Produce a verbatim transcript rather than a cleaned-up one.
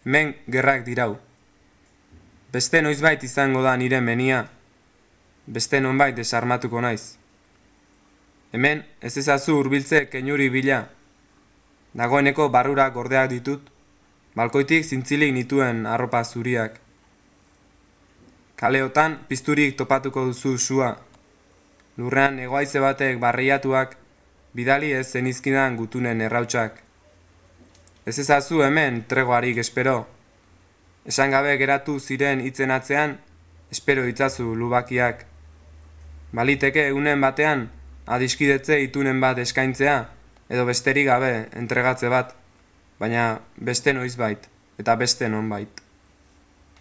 Hemen gerrak dirau. Beste noizbait izango da nire menia, beste nonbait desarmatuko naiz. Hemen ez ezazu hurbiltze keinuri bila, dagoeneko barrura gordeak ditut, balkoitik zintzilik nituen arropa zuriak. Kaleotan pizturik topatuko duzu sua, lurrean egoaize batek barriatuak, bidali ez zenizkidan gutunen errautsak. Ez ezazu hemen tregoarik espero, esan gabe geratu ziren hitzen atzean, espero itzazu lubakiak. Baliteke egunen batean, adiskidetze itunen bat eskaintzea, edo besterik gabe entregatze bat, baina beste noizbait, eta beste nonbait.